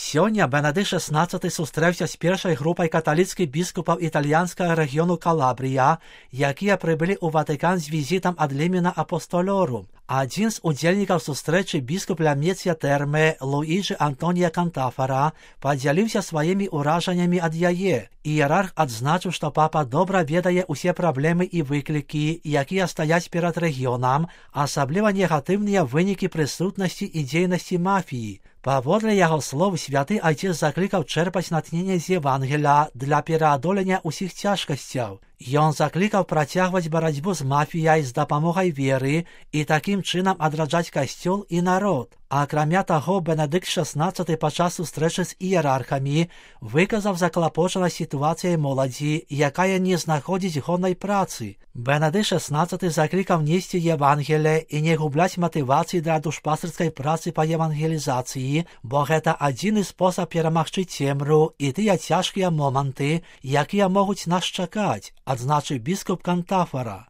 Сёння Бенедикт XVI сустрэўся з першай групай каталіцкіх біскупаў італьянскага рэгіёну Калабрія, якія прыбылі ў Ватыкан з візітам ад Лімена Апостолорум. Адзін з удзельнікаў сустрэчы біскуп Ламецья Тэрме Луіджы Антонія Кантафара падзяліўся сваімі ўражаннямі ад яе. Іерарх адзначыў, што папа добра ведае ўсе праблемы і выклікі, якія стаяць перад рэгіёнам, асабліва негатыўныя вынікі прысутнасці і дзейнасці мафіі. Паводле яго слоў, святы айцец заклікаў чэрпаць натхненне з Евангелія для пераадолення ўсіх цяжкасцяў. Ён заклікаў працягваць барацьбу з мафіяй з дапамогай веры і такім чынам адраджаць касцёл і народ. Акрамя таго, Бенедикт XVI падчас сустрэчы з іерархамі выказаў заклапочанасць сітуацыяй моладзі, якая не знаходзіць годнай працы. Бенедикт XVI заклікаў несці Евангелие і не губляць матывацыі для душпастырскай працы па евангелізацыі, бо гэта адзіны спосаб перамагчы цемру і тыя цяжкія моманты, якія могуць нас чакаць, адзначыў біскуп Кантафара.